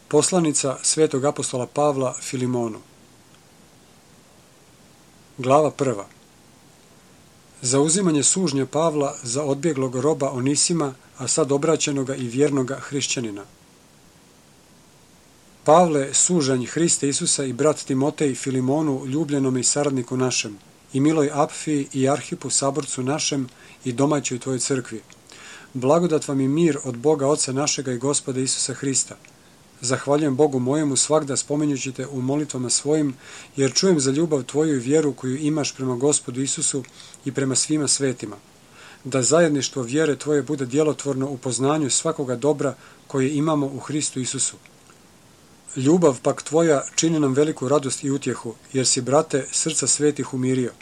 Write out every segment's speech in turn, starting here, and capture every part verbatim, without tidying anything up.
Poslanica svetog apostola Pavla Filimonu. Glava prva. Zauzimanje sužnja Pavla za odbjeglog roba Onisima, a sad obraćenoga i vjernoga hrišćanina. Pavle, sužanj Hrista Isusa i brat Timotej Filimonu, ljubljenome i saradniku našem, i miloj Apfiji i Arhipu, saborcu našem i domaćoj tvojoj crkvi. Blagodat vam i mir od Boga Oca našega i Gospoda Isusa Hrista. Zahvaljujem Bogu mojemu svagda spominjući te u molitvama svojim, jer čujem za ljubav tvoju i vjeru koju imaš prema Gospodu Isusu i prema svima svetima. Da zajedništvo vjere tvoje bude djelotvorno u poznanju svakoga dobra koje imamo u Hristu Isusu. Ljubav pak tvoja čini nam veliku radost i utjehu, jer si, brate, srca svetih umirio.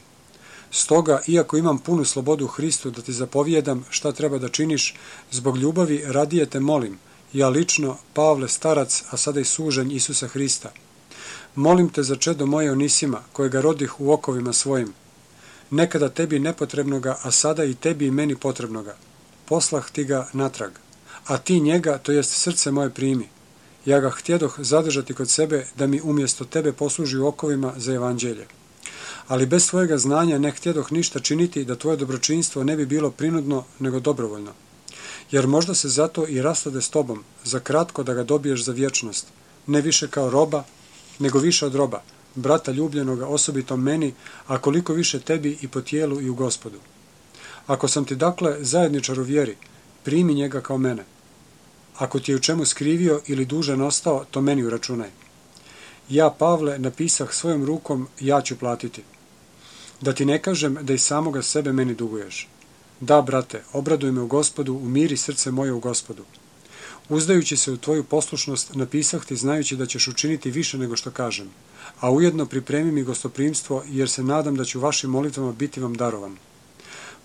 Stoga, iako imam punu slobodu u Hristu da ti zapovijedam šta treba da činiš, zbog ljubavi radije te molim, ja lično, Pavle starac, a sada i sužanj Isusa Hrista. Molim te za čedo moje Onisima, kojega rodih u okovima svojim. Nekada tebi nepotrebnoga, a sada i tebi i meni potrebnoga. Poslah ti ga natrag, a ti njega, to jest srce moje primi. Ja ga htjedoh zadržati kod sebe da mi umjesto tebe posluži u okovima za evanđelje. Ali bez svojega znanja ne htjedoh ništa činiti da tvoje dobročinstvo ne bi bilo prinudno nego dobrovoljno. Jer možda se zato i rastade s tobom, za kratko da ga dobiješ za vječnost, ne više kao roba, nego više od roba, brata ljubljenoga osobito meni, a koliko više tebi i po tijelu i u Gospodu. Ako sam ti dakle zajedničar u vjeri, primi njega kao mene. Ako ti je u čemu skrivio ili dužan ostao, to meni uračunaj. Ja, Pavle, napisah svojom rukom, ja ću platiti. Da ti ne kažem da i samoga sebe meni duguješ. Da, brate, obraduj me u Gospodu, umiri srce moje u Gospodu. Uzdajući se u tvoju poslušnost, napisah ti znajući da ćeš učiniti više nego što kažem, a ujedno pripremi mi gostoprimstvo, jer se nadam da ću vašim molitvama biti vam darovan.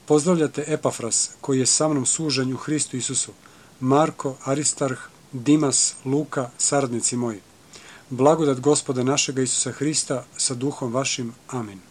Pozdravljate Epafras, koji je sa mnom sužanj u Hristu Isusu, Marko, Aristarh, Dimas, Luka, saradnici moji. Blagodat Gospoda našega Isusa Hrista sa duhom vašim. Amin.